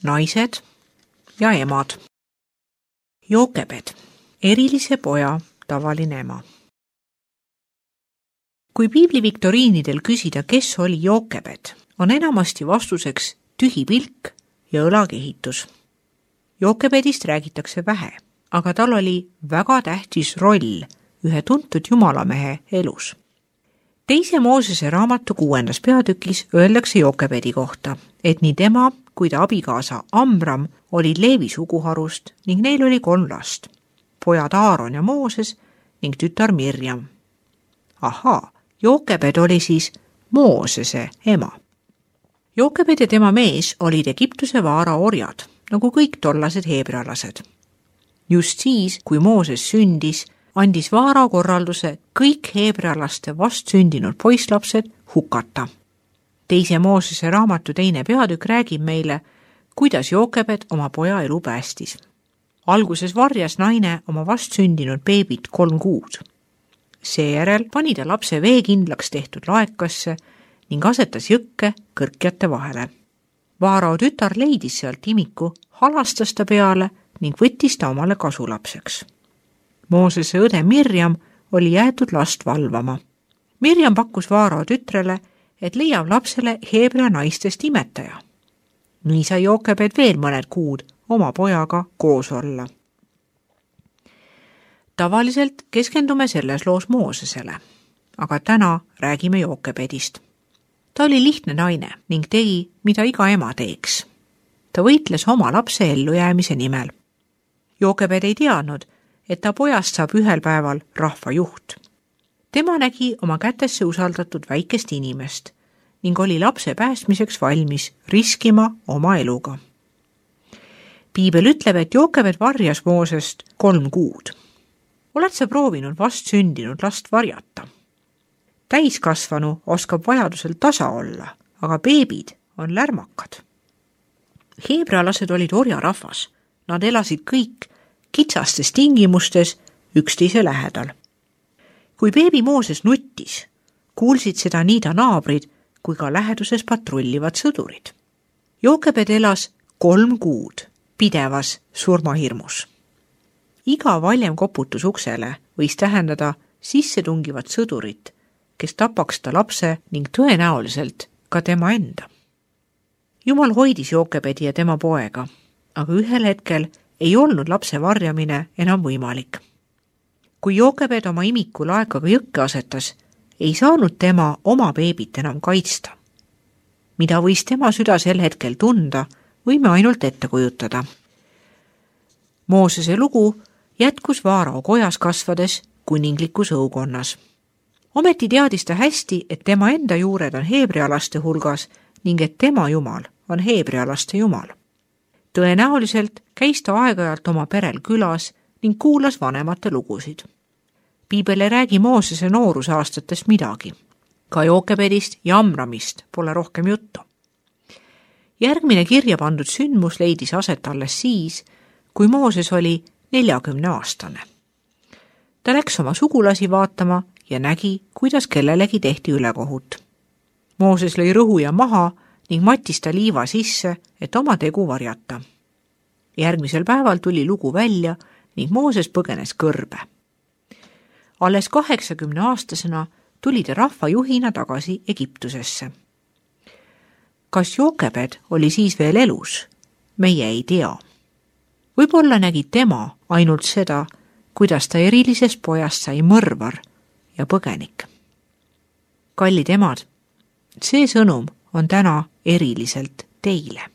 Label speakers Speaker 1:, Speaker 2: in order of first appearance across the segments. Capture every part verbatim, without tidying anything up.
Speaker 1: naised ja emad. Jookebed, erilise poja tavaline ema. Kui piibli viktoriinidel küsida, kes oli Jookebed, on enamasti vastuseks tühi pilk ja õlakehitus. Jookebedist räägitakse vähe, aga tal oli väga tähtis roll ühe tuntud jumalamehe elus. Teise Moosese raamatu kuuendas peatükis öeldakse Jookebedi kohta, et nii tema kui ta abikaasa Amram olid Leevi suguharust ning neil oli kolm last, pojad Aaron ja Mooses ning tütar Mirjam. Ahaa, Jookebed oli siis Moosese ema. Jookebed ja tema mees olid Egiptuse vaara orjad, nagu kõik tollased heebrealased. Just siis, kui Mooses sündis, andis vaara korralduse kõik heebrealaste vastsündinud poislapsed hukata. Teise Moosese raamatu teine peatükk räägib meile, kuidas Jookebed oma poja elu päästis. Alguses varjas naine oma vastsündinud beebit kolm kuud. Seejärel pani ta lapse veekindlaks tehtud laekasse ning asetas jõkke kõrkjate vahele. Vaarao tütar leidis sealt imiku, halastas ta peale ning võttis ta omale kasulapseks. Moosese õde Mirjam oli jäetud last valvama. Mirjam pakkus Vaarao tütrele, et leiab lapsele heebrea naistest imetaja. Nii sai Jookebed veel mõned kuud oma pojaga koos olla. Tavaliselt keskendume selles loos Moosesele, aga täna räägime Jookebedist. Ta oli lihtne naine ning tegi, mida iga ema teeks. Ta võitles oma lapse ellujäämise nimel. Jookebed ei teadnud, et ta pojast saab ühel päeval rahvajuht. Tema nägi oma kätesse usaldatud väikest inimest ning oli lapse päästmiseks valmis riskima oma eluga. Piibel ütleb, et Jookebed varjas Moosest kolm kuud. Oled sa proovinud vastsündinud last varjata? Täiskasvanu oskab vajadusel tasa olla, aga beebid on lärmakad. Heebrealased olid orjarahvas. Nad elasid kõik kitsastes tingimustes üksteise lähedal. Kui beebi Mooses nuttis, kuulsid seda nii ta naabrid kui ka läheduses patrullivad sõdurid. Jookebed elas kolm kuud pidevas surmahirmus. Iga valjem koputus uksele võis tähendada sissetungivat sõdurit, kes tapaks ta lapse ning tõenäoliselt ka tema enda. Jumal hoidis Jookebedi ja tema poega, aga ühel hetkel ei olnud lapse varjamine enam võimalik. Kui Jookebed oma imiku laekaga jõkke asetas, ei saanud tema oma beebit enam kaitsta. Mida võis tema süda sel hetkel tunda, võime ainult ette kujutada. Moosese lugu jätkus Vaarao kojas kasvades kuninglikus õukonnas. Ometi teadis ta hästi, et tema enda juured on heebrealaste hulgas ning et tema jumal on heebrealaste jumal. Tõenäoliselt käis ta aeg-ajalt oma perel külas ning kuulas vanemate lugusid. Piibel ei räägi Moosese noorusaastatest midagi. Ka Jookebedist ja Amramist pole rohkem juttu. Järgmine kirja pandud sündmus leidis aset alles siis, kui Mooses oli neljakümne aastane. Ta läks oma sugulasi vaatama ja nägi, kuidas kellelegi tehti ülekohut. Mooses lõi rõhuja maha ning mattis ta liiva sisse, et oma tegu varjata. Järgmisel päeval tuli lugu välja ning Mooses põgenes kõrbe. Alles kaheksakümne aastasena tuli ta rahvajuhina tagasi Egiptusesse. Kas Jookebed oli siis veel elus? Meie ei tea. Võib-olla nägi tema ainult seda, kuidas ta erilisest pojast sai mõrvar ja põgenik. Kallid emad, see sõnum on täna eriliselt teile.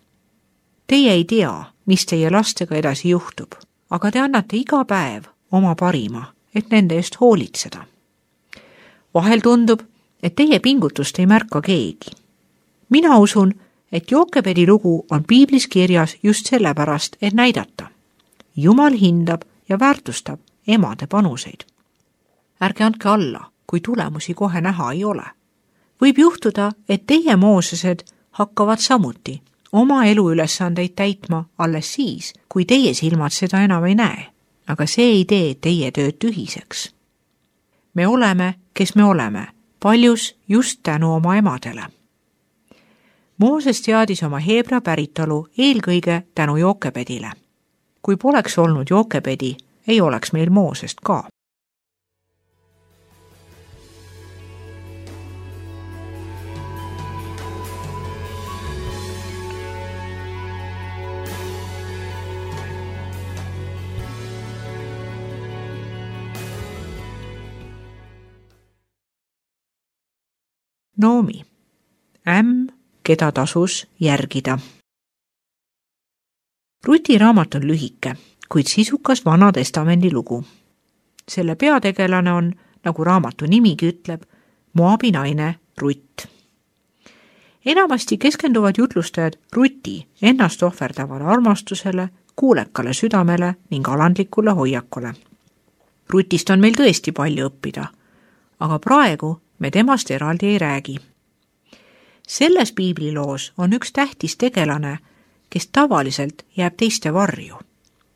Speaker 1: Teie ei tea, mis teie lastega edasi juhtub, aga te annate iga päev oma parima, et nende eest hoolitseda. Vahel tundub, et teie pingutust ei märka keegi. Mina usun, et Jookebedi lugu on piiblis kirjas just sellepärast, et näidata. Jumal hindab ja väärtustab emade panuseid. Ärge andke alla, kui tulemusi kohe näha ei ole. Võib juhtuda, et teie Moosesed hakkavad samuti oma eluülesandeid täitma alles siis, kui teie silmad seda enam ei näe, aga see ei tee teie tööd tühiseks. Me oleme, kes me oleme, paljus just tänu oma emadele. Mooses teadis oma heebrea päritolu eelkõige tänu Jookebedile. Kui poleks olnud Jookebedi, ei oleks meil Moosest ka. Noomi, ämm, keda tasus järgida. Ruti raamat on lühike, kuid sisukas Vana Testamendi lugu. Selle peategelane on, nagu raamatu nimigi ütleb, Moabi naine Rutt. Enamasti keskenduvad jutlustajad Ruti ennast ohverdavale armastusele, kuulekale südamele ning alandlikule hoiakule. Rutist on meil tõesti palju õppida, aga praegu me temast eraldi ei räägi. Selles piibliloos on üks tähtis tegelane, kes tavaliselt jääb teiste varju.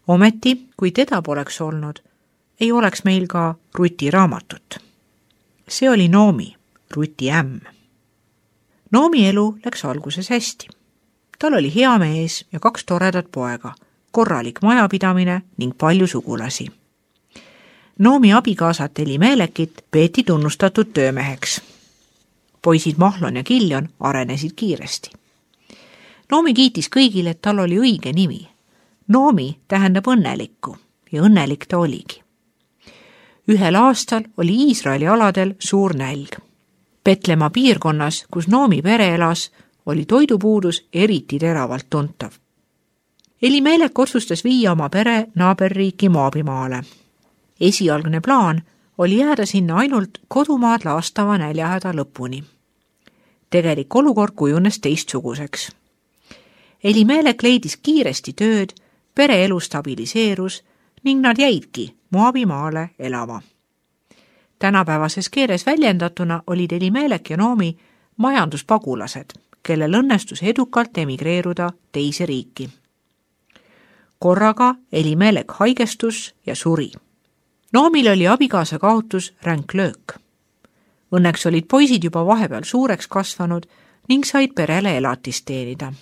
Speaker 1: Ometi, kui teda poleks olnud, ei oleks meil ka Ruti raamatut. See oli Noomi, Ruti ämm. Noomi elu läks alguses hästi. Tal oli hea mees ja kaks toredat poega, korralik majapidamine ning palju sugulasi. Noomi abikaasat Elimelekit peeti tunnustatud töömeheks. Poisid Mahlon ja Kiljon arenesid kiiresti. Noomi kiitis kõigile, et tal oli õige nimi. Noomi tähendab õnnelikku ja õnnelik ta oligi. Ühel aastal oli Iisraeli aladel suur nälg. Betlema piirkonnas, kus Noomi pere elas, oli toidupuudus eriti teravalt tuntav. Elimelek otsustas viia oma pere naaberriiki Moabimaale. Esialgne plaan oli jääda sinna ainult kodumaad laastava näljahäda lõpuni. Tegelik olukord kujunes teistsuguseks. Elimelek leidis kiiresti tööd, pere elu stabiliseerus ning nad jäidki Moabimaale elama. Tänapäevases keeles väljendatuna olid Elimelek ja Noomi majanduspagulased, kellel õnnestus edukalt emigreeruda teise riiki. Korraga Elimelek haigestus ja suri. Noomil oli abikaasa kaotus ränk löök. Õnneks olid poisid juba vahepeal suureks kasvanud ning said perele elatist teenida.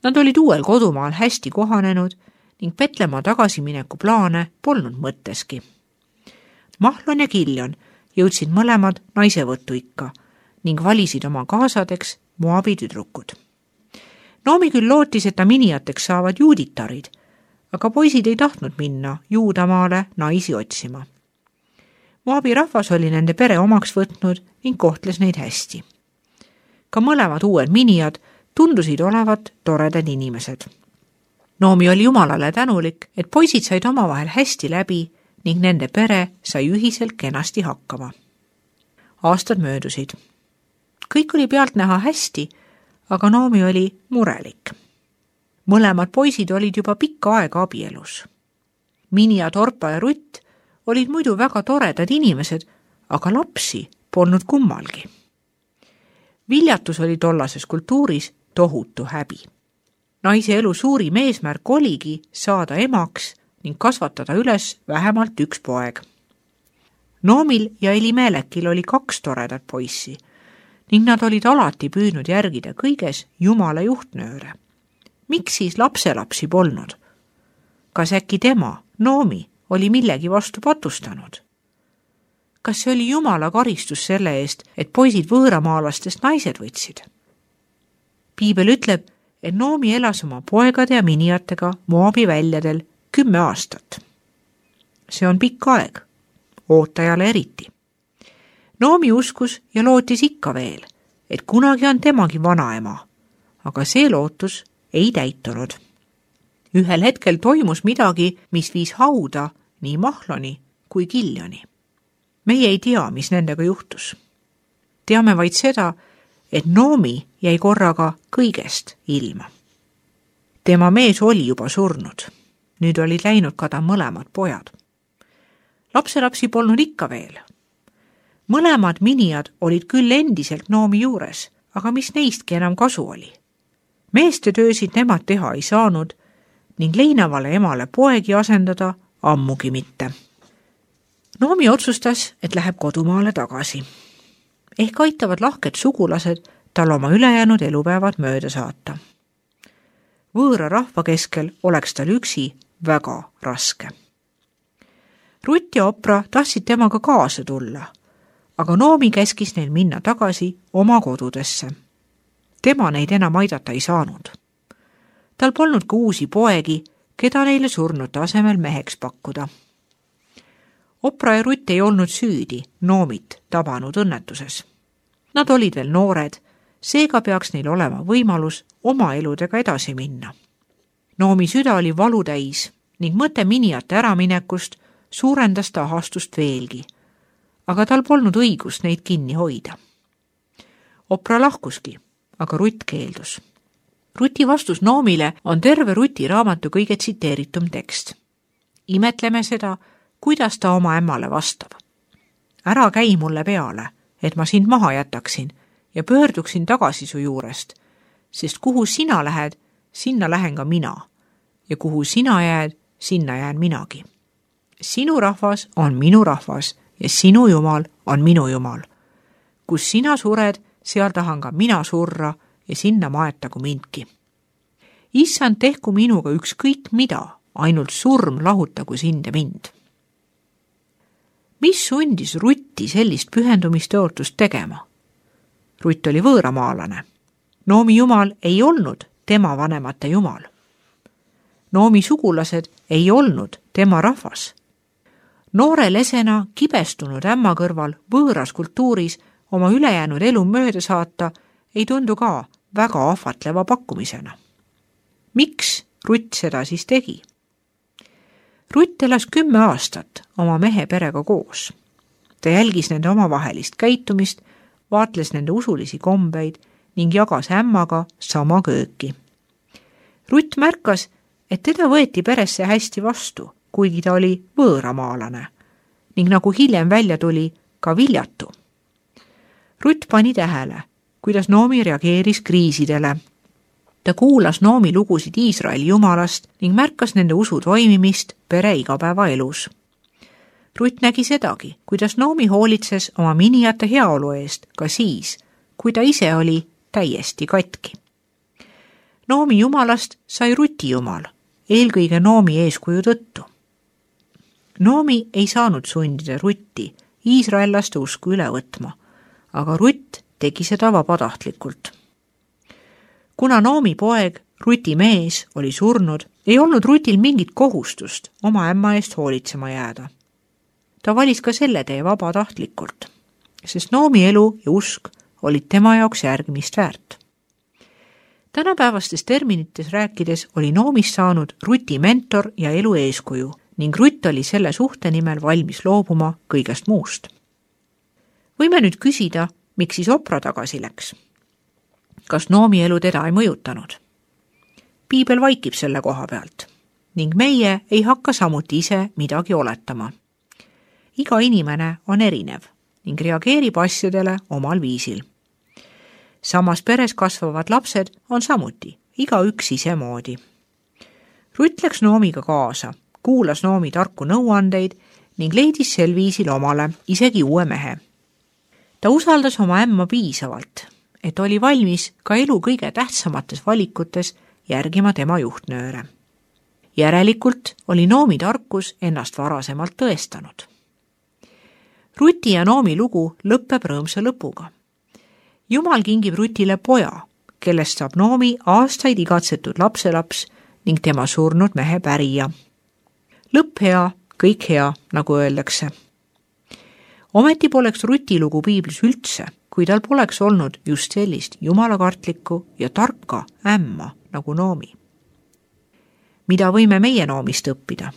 Speaker 1: Nad olid uuel kodumaal hästi kohanenud ning Betlema tagasimineku plaane polnud mõtteski. Mahlon ja Kiljon jõudsid mõlemad naisevõttu ikka ning valisid oma kaasadeks Moabi tüdrukud. Noomi küll lootis, et ta minijateks saavad juuditarid, aga poisid ei tahtnud minna Juudamaale naisi otsima. Moabi rahvas oli nende pere omaks võtnud ning kohtles neid hästi. Ka mõlemad uued minijad tundusid olevat toredad inimesed. Noomi oli Jumalale tänulik, et poisid said omavahel hästi läbi ning nende pere sai ühiselt kenasti hakkama. Aastad möödusid. Kõik oli pealt näha hästi, aga Noomi oli murelik. Mõlemad poisid olid juba pikka aega abielus. Minja, Torpa ja Rutt olid muidu väga toredad inimesed, aga lapsi polnud kummalgi. Viljatus oli tollases kultuuris tohutu häbi. Naise elu suurim eesmärk oligi saada emaks ning kasvatada üles vähemalt üks poeg. Noomil ja Elimelekil oli kaks toredat poissi ning nad olid alati püüdnud järgida kõiges Jumala juhtnööre. Miks siis lapselapsi polnud? Kas äkki tema, Noomi, oli millegi vastu patustanud? Kas see oli Jumala karistus selle eest, et poisid võõramaalastest naised võtsid? Piibel ütleb, et Noomi elas oma poegade ja minijatega Moabi väljadel kümme aastat. See on pikk aeg, ootajale eriti. Noomi uskus ja lootis ikka veel, et kunagi on temagi vanaema, aga see lootus ei täitunud. Ühel hetkel toimus midagi, mis viis hauda nii Mahloni kui Kiljoni. Meie ei tea, mis nendega juhtus. Teame vaid seda, et Noomi jäi korraga kõigest ilma. Tema mees oli juba surnud. Nüüd olid läinud kada mõlemad pojad. Lapselapsi polnud ikka veel. Mõlemad minijad olid küll endiselt Noomi juures, aga mis neistki enam kasu oli? Meeste töösid nemad teha ei saanud ning leinavale emale poegi asendada ammugi mitte. Noomi otsustas, et läheb kodumaale tagasi. Ehk aitavad lahked sugulased tal oma ülejäänud elupäevad mööda saata. Võõra rahva keskel oleks tal üksi väga raske. Rutt ja Opra tahtsid temaga kaasa tulla, aga Noomi käskis neil minna tagasi oma kodudesse. Tema neid enam aidata ei saanud. Tal polnud ka uusi poegi, keda neile surnute asemel meheks pakkuda. Opra ja Rutt ei olnud süüdi Noomit tabanud õnnetuses. Nad olid veel noored, seega peaks neil olema võimalus oma eludega edasi minna. Noomi süda oli valutäis ning mõte miniate äraminekust suurendas ta ahastust veelgi, aga tal polnud õigust neid kinni hoida. Opra lahkuski, aga Rutt keeldus. Ruti vastus Noomile on terve Ruti raamatu kõige tsiteeritum tekst. Imetleme seda, kuidas ta oma ämmale vastab. Ära käi mulle peale, et ma sind maha jätaksin ja pöörduksin tagasi su juurest, sest kuhu sina lähed, sinna lähen ka mina, ja kuhu sina jääd, sinna jään minagi. Sinu rahvas on minu rahvas ja sinu Jumal on minu Jumal. Kus sina sured, seal tahan ka mina surra ja sinna maetagu mindki. Issand, tehku minuga ükskõik mida, ainult surm lahutagu sind ja mind. Mis sundis Rutti sellist pühendumisteotust tegema? Rutt oli võõramaalane. Noomi Jumal ei olnud tema vanemate Jumal. Noomi sugulased ei olnud tema rahvas. Noore lesena kibestunud ämma kõrval võõras kultuuris oma ülejäänud elu mööda saata ei tundu ka väga ahvatleva pakkumisena. Miks Rutt seda siis tegi? Rutt elas kümme aastat oma mehe perega koos. Ta jälgis nende omavahelist käitumist, vaatles nende usulisi kombeid ning jagas ämmaga sama kööki. Rutt märkas, et teda võeti peresse hästi vastu, kuigi ta oli võõramaalane ning nagu hiljem välja tuli, ka viljatu. Rutt pani tähele, kuidas Noomi reageeris kriisidele. Ta kuulas Noomi lugusid Iisraeli Jumalast ning märkas nende usu toimimist pere igapäevaelus. Rutt nägi sedagi, kuidas Noomi hoolitses oma miniate heaolu eest ka siis, kui ta ise oli täiesti katki. Noomi Jumalast sai Ruti Jumal, eelkõige Noomi eeskuju tõttu. Noomi ei saanud sundida Rutti iisraellaste usku üle võtma, aga Rutt tegi seda vabatahtlikult. Kuna Noomi poeg, Ruti mees, oli surnud, ei olnud Rutil mingit kohustust oma ämma eest hoolitsema jääda. Ta valis ka selle tee vabatahtlikult, sest Noomi elu ja usk olid tema jaoks järgmist väärt. Tänapäevastes terminites rääkides oli Noomist saanud Ruti mentor ja elu eeskuju ning Rutt oli selle suhte nimel valmis loobuma kõigest muust. Võime nüüd küsida, miks siis Opra tagasi läks? Kas Noomi elu teda ei mõjutanud? Piibel vaikib selle koha pealt ning meie ei hakka samuti ise midagi oletama. Iga inimene on erinev ning reageerib asjadele omal viisil. Samas peres kasvavad lapsed on samuti igaüks ise moodi. Rutt läks Noomiga kaasa, kuulas Noomi tarku nõuandeid ning leidis sel viisil omale isegi uue mehe. Ta usaldas oma ämma piisavalt, et oli valmis ka elu kõige tähtsamates valikutes järgima tema juhtnööre. Järelikult oli Noomi tarkus ennast varasemalt tõestanud. Ruti ja Noomi lugu lõppeb rõõmsa lõpuga. Jumal kingib Rutile poja, kellest saab Noomi aastaid igatsetud lapselaps ning tema surnud mehe pärija. Lõpp hea, kõik hea, nagu öeldakse. Ometi poleks Ruti lugu Piiblis üldse, kui tal poleks olnud just sellist jumalakartlikku ja tarka ämma nagu Noomi. Mida võime meie Noomist õppida?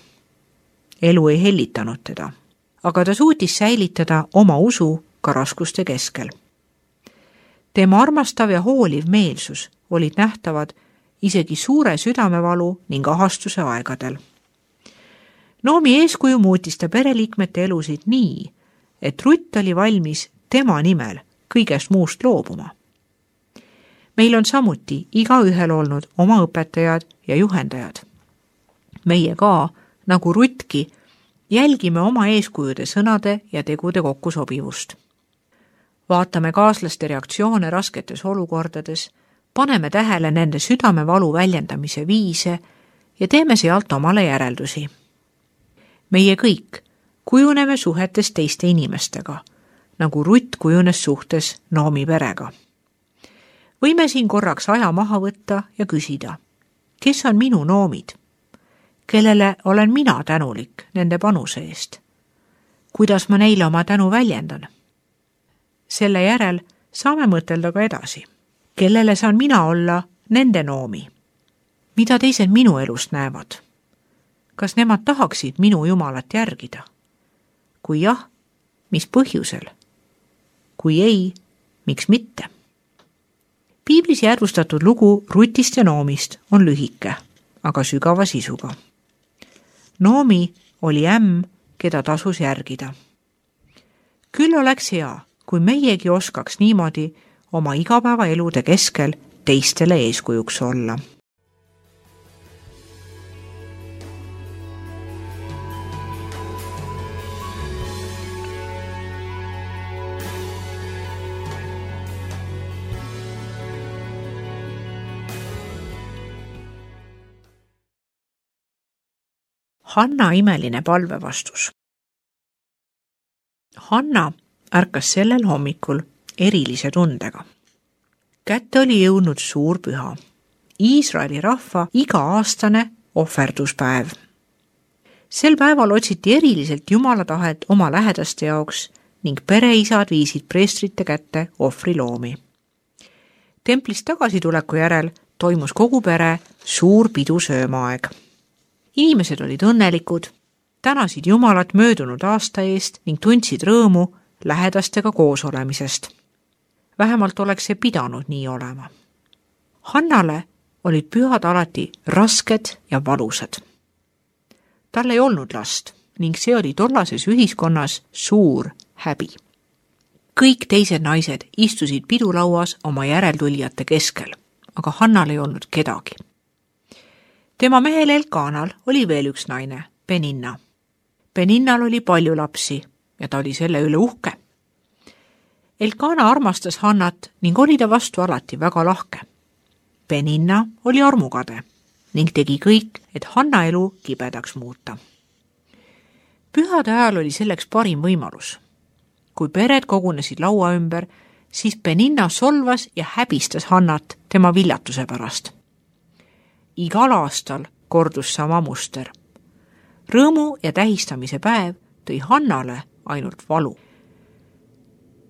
Speaker 1: Elu ei hellitanud teda, aga ta suutis säilitada oma usu ka raskuste keskel. Tema armastav ja hooliv meelsus olid nähtavad isegi suure südamevalu ning ahastuse aegadel. Noomi eeskuju muutis ta pereliikmete elusid nii, et Rutt oli valmis tema nimel kõigest muust loobuma. Meil on samuti igaühel olnud oma õpetajad ja juhendajad. Meie ka, nagu Ruttki, jälgime oma eeskujude sõnade ja tegude kokkusobivust. Vaatame kaaslaste reaktsioone rasketes olukordades, paneme tähele nende südamevalu väljendamise viise ja teeme sealt omale järeldusi. Meie kõik kujuneme suhetes teiste inimestega, nagu Rutt kujunes suhtes Noomi perega. Võime siin korraks aja maha võtta ja küsida, kes on minu Noomid? Kellele olen mina tänulik nende panuse eest? Kuidas ma neile oma tänu väljendan? Selle järel saame mõtelda ka edasi. Kellele saan mina olla nende Noomi? Mida teised minu elust näevad? Kas nemad tahaksid minu Jumalat järgida? Kui jah, mis põhjusel? Kui ei, miks mitte? Piiblis järvustatud lugu Rutist ja Noomist on lühike, aga sügava sisuga. Noomi oli ämm, keda tasus järgida. Küll oleks hea, kui meiegi oskaks niimoodi oma igapäevaelude keskel teistele eeskujuks olla. Hanna imeline palvevastus. Hanna ärkas sellel hommikul erilise tundega. Kätte oli jõudnud suur püha, Iisraeli rahva iga-aastane ohverduspäev. Sel päeval otsiti eriliselt Jumala tahet oma lähedaste jaoks ning pereisad viisid preestrite kätte ohvriloomi. Templist tagasituleku järel toimus kogu pere suur pidusöömaaeg. Inimesed olid õnnelikud, tänasid Jumalat möödunud aasta eest ning tundsid rõõmu lähedastega koos olemisest. Vähemalt oleks see pidanud nii olema. Hannale olid pühad alati rasked ja valusad. Tal ei olnud last ning see oli tollases ühiskonnas suur häbi. Kõik teised naised istusid pidulauas oma järeltulijate keskel, aga Hannal ei olnud kedagi. Tema mehel Elkanal oli veel üks naine, Peninna. Peninnal oli palju lapsi ja ta oli selle üle uhke. Elkana armastas Hannat ning oli ta vastu alati väga lahke. Peninna oli armukade ning tegi kõik, et Hanna elu kibedaks muuta. Pühade ajal oli selleks parim võimalus. Kui pered kogunesid laua ümber, siis Peninna solvas ja häbistas Hannat tema viljatuse pärast. Igal aastal kordus sama muster. Rõõmu ja tähistamise päev tõi Hannale ainult valu.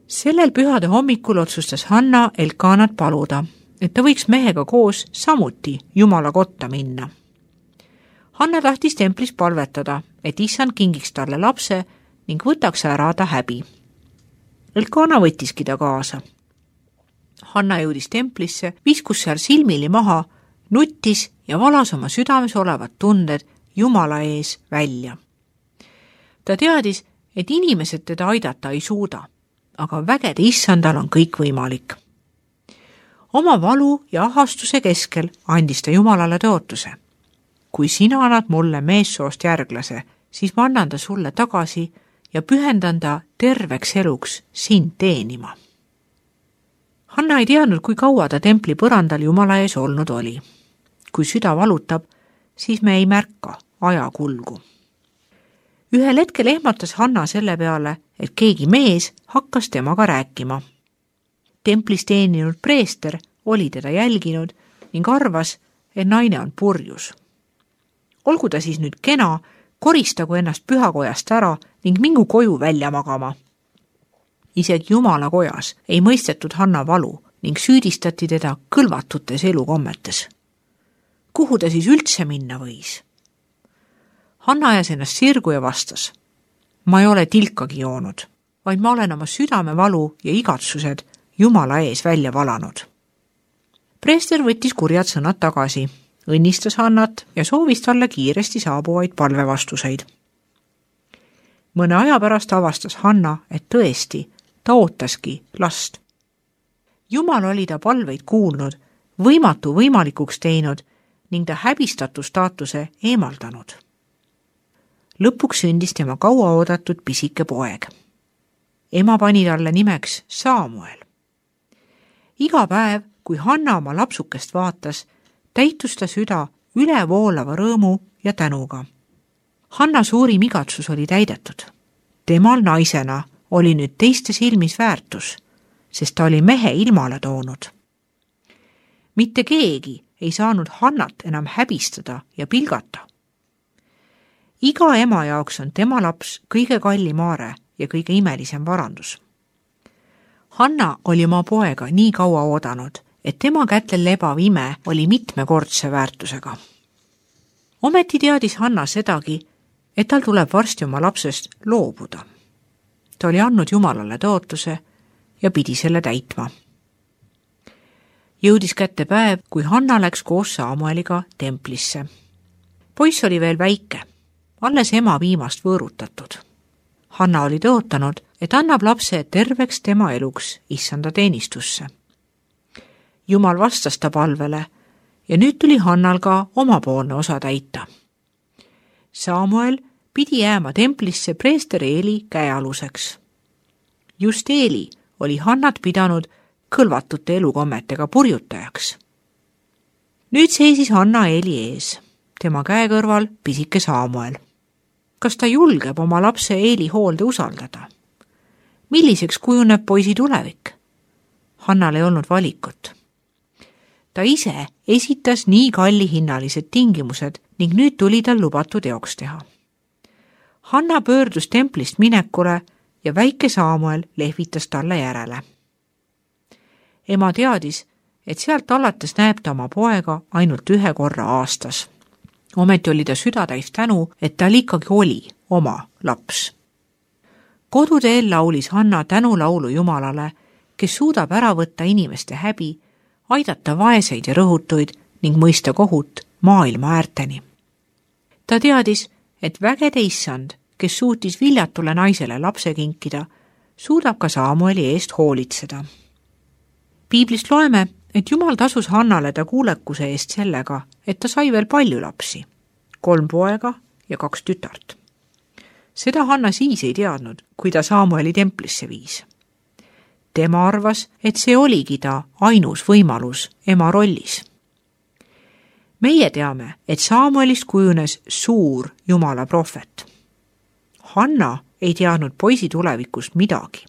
Speaker 1: Sellel pühade hommikul otsustas Hanna Elkanat paluda, et ta võiks mehega koos samuti Jumala kotta minna. Hanna tahtis templis palvetada, et Issand kingiks talle lapse ning võtaks ära ta häbi. Elkana võttiski ta kaasa. Hanna jõudis templisse, viskus seal silmili maha, nuttis ja valas oma südames olevad tunded Jumala ees välja. Ta teadis, et inimesed teda aidata ei suuda, aga vägede Issandal on kõik võimalik. Oma valu ja ahastuse keskel andis ta Jumalale tõotuse. Kui sina annad mulle meessoost järglase, siis ma annan ta sulle tagasi ja pühendan ta terveks eluks sind teenima. Hanna ei teadnud, kui kaua ta templi põrandal Jumala ees olnud oli. Kui süda valutab, siis me ei märka aja kulgu. Ühel hetkel ehmatas Hanna selle peale, et keegi mees hakkas temaga rääkima. Templis teeninud preester oli teda jälginud ning arvas, et naine on purjus. Olgu ta siis nüüd kena, koristagu ennast pühakojast ära ning mingu koju välja magama. Isegi Jumala kojas ei mõistetud Hanna valu ning süüdistati teda kõlvatutes elukommetes. Kuhu ta siis üldse minna võis? Hanna ajas ennast sirgu ja vastas. Ma ei ole tilkagi joonud, vaid ma olen oma südamevalu ja igatsused Jumala ees välja valanud. Preester võttis kurjad sõnad tagasi, õnnistas Hannat ja soovis talle kiiresti saabuvaid palvevastuseid. Mõne aja pärast avastas Hanna, et tõesti, ta ootaski last. Jumal oli ta palveid kuulnud, võimatu võimalikuks teinud ning ta häbistatu staatuse eemaldanud. Lõpuks sündis tema kaua oodatud pisike poeg. ema pani talle nimeks Saamuel. Iga päev, kui Hanna oma lapsukest vaatas, täitus ta süda ülevoolava rõõmu ja tänuga. Hanna suurim igatsus oli täidetud. Temal naisena oli nüüd teiste silmis väärtus, sest ta oli mehe ilmale toonud. Mitte keegi ei saanud Hannat enam häbistada ja pilgata. Iga ema jaoks on tema laps kõige kallim aare ja kõige imelisem varandus. Hanna oli oma poega nii kaua oodanud, et tema kätel lebav ime oli mitmekordse väärtusega. Ometi teadis Hanna sedagi, et tal tuleb varsti oma lapsest loobuda. Ta oli andnud Jumalale tõotuse ja pidi selle täitma. Jõudis kätte päev, kui Hanna läks koos Saamueliga templisse. Poiss oli veel väike, alles ema viimast võõrutatud. Hanna oli tõotanud, et annab lapse terveks tema eluks issanda teenistusse. Jumal vastas ta palvele ja nüüd tuli Hannal ka omapoolne osa täita. Saamuel pidi jääma templisse preester Eeli käealuseks. Just Eeli oli Hannat pidanud kõlvatute elukommetega purjutajaks. Nüüd seisis Hanna Eeli ees, tema käe kõrval pisike Saamuel. Kas ta julgeb oma lapse Eeli hoolde usaldada? Milliseks kujuneb poisi tulevik? Hannal ei olnud valikut. Ta ise esitas nii kallihinnalised tingimused ning nüüd tuli tal lubatud teoks teha. Hanna pöördus templist minekule ja väike Saamuel lehvitas talle järele. Ema teadis, et sealt alates näeb ta oma poega ainult ühe korra aastas. Ometi oli ta südatäis tänu, et tal ikkagi oli oma laps. Koduteel laulis Hanna tänulaulu Jumalale, kes suudab ära võtta inimeste häbi, aidata vaeseid ja rõhutuid ning mõista kohut maailma äärteni. Ta teadis, et vägede issand, kes suutis viljatule naisele lapse kinkida, suudab ka Saamueli eest hoolitseda. Piiblist loeme, et Jumal tasus Hannale ta kuulekuse eest sellega, et ta sai veel palju lapsi, kolm poega ja kaks tütart. Seda Hanna siis ei teadnud, kui ta Saamueli templisse viis. Tema arvas, et see oligi ta ainus võimalus ema rollis. Meie teame, et Saamuelist kujunes suur Jumala prohvet. Hanna ei teadnud poisi tulevikust midagi.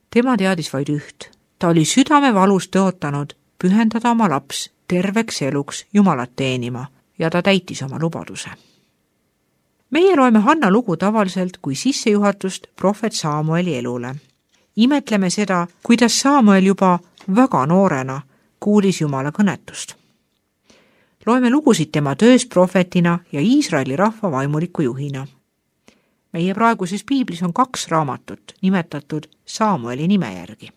Speaker 1: Tema teadis vaid üht. Ta oli südamevalus tõotanud pühendada oma laps terveks eluks Jumalat teenima ja ta täitis oma lubaduse. Meie loeme Hanna lugu tavaliselt kui sissejuhatust prohvet Saamueli elule. Imetleme seda, kuidas Saamuel juba väga noorena kuulis Jumala kõnetust. Loeme lugusid tema töös prohvetina ja Iisraeli rahva vaimuliku juhina. Meie praeguses piiblis on kaks raamatut nimetatud Saamueli nime järgi.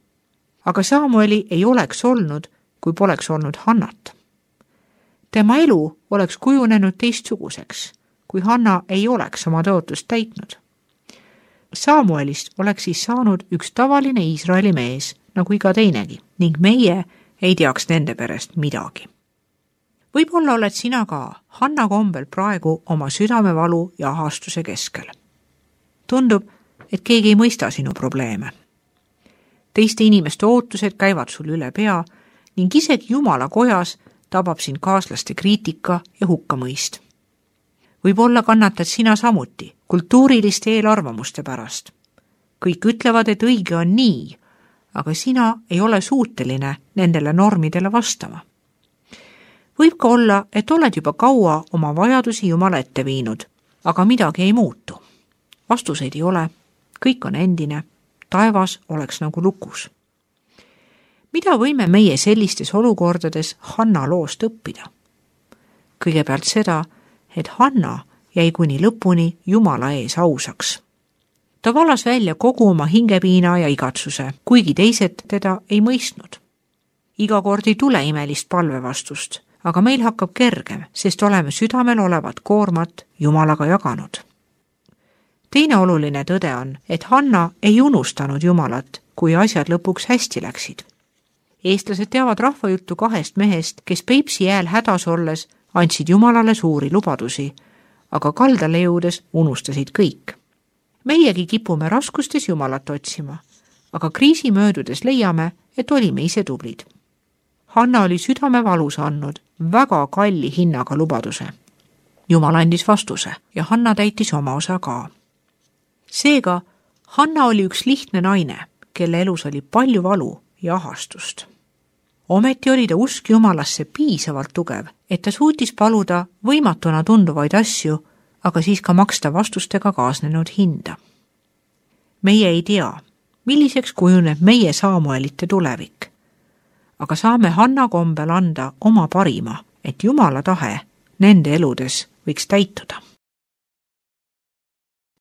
Speaker 1: Aga Saamueli ei oleks olnud, kui poleks olnud Hannat. Tema elu oleks kujunenud teistsuguseks, kui Hanna ei oleks oma tõotust täitnud. Saamuelist oleks siis saanud üks tavaline Iisraeli mees, nagu iga teinegi, ning meie ei teaks nende perest midagi. Võib-olla oled sina ka Hanna kombel praegu oma südamevalu ja ahastuse keskel. Tundub, et keegi ei mõista sinu probleeme. Teiste inimeste ootused käivad sul üle pea ning isegi Jumala kojas tabab sind kaaslaste kriitika ja hukkamõist. Võib-olla kannatad sina samuti kultuuriliste eelarvamuste pärast. Kõik ütlevad, et õige on nii, aga sina ei ole suuteline nendele normidele vastama. Võib ka olla, et oled juba kaua oma vajadusi Jumala ette viinud, aga midagi ei muutu. Vastuseid ei ole, kõik on endine, taevas oleks nagu lukus. Mida võime meie sellistes olukordades Hanna loost õppida? Kõigepealt seda, et Hanna jäi kuni lõpuni Jumala ees ausaks. Ta valas välja kogu oma hingepiina ja igatsuse, kuigi teised teda ei mõistnud. Iga kord ei tule imelist palvevastust, aga meil hakkab kergem, sest oleme südamel olevat koormat Jumalaga jaganud. Teine oluline tõde on, et Hanna ei unustanud Jumalat, kui asjad lõpuks hästi läksid. Eestlased teavad rahvajuttu kahest mehest, kes Peipsi jääl hädas olles andsid Jumalale suuri lubadusi, aga kaldale jõudes unustasid kõik. Meiegi kipume raskustes Jumalat otsima, aga kriisi möödudes leiame, et olime ise tublid. Hanna oli südame valus andnud väga kalli hinnaga lubaduse. Jumal andis vastuse ja Hanna täitis oma osa ka. Seega, Hanna oli üks lihtne naine, kelle elus oli palju valu ja ahastust. Ometi oli ta usk Jumalasse piisavalt tugev, et ta suutis paluda võimatuna tunduvaid asju, aga siis ka maksta vastustega kaasnenud hinda. Meie ei tea, milliseks kujuneb meie Saamuelite tulevik, aga saame Hanna kombel anda oma parima, et Jumala tahe nende eludes võiks täituda.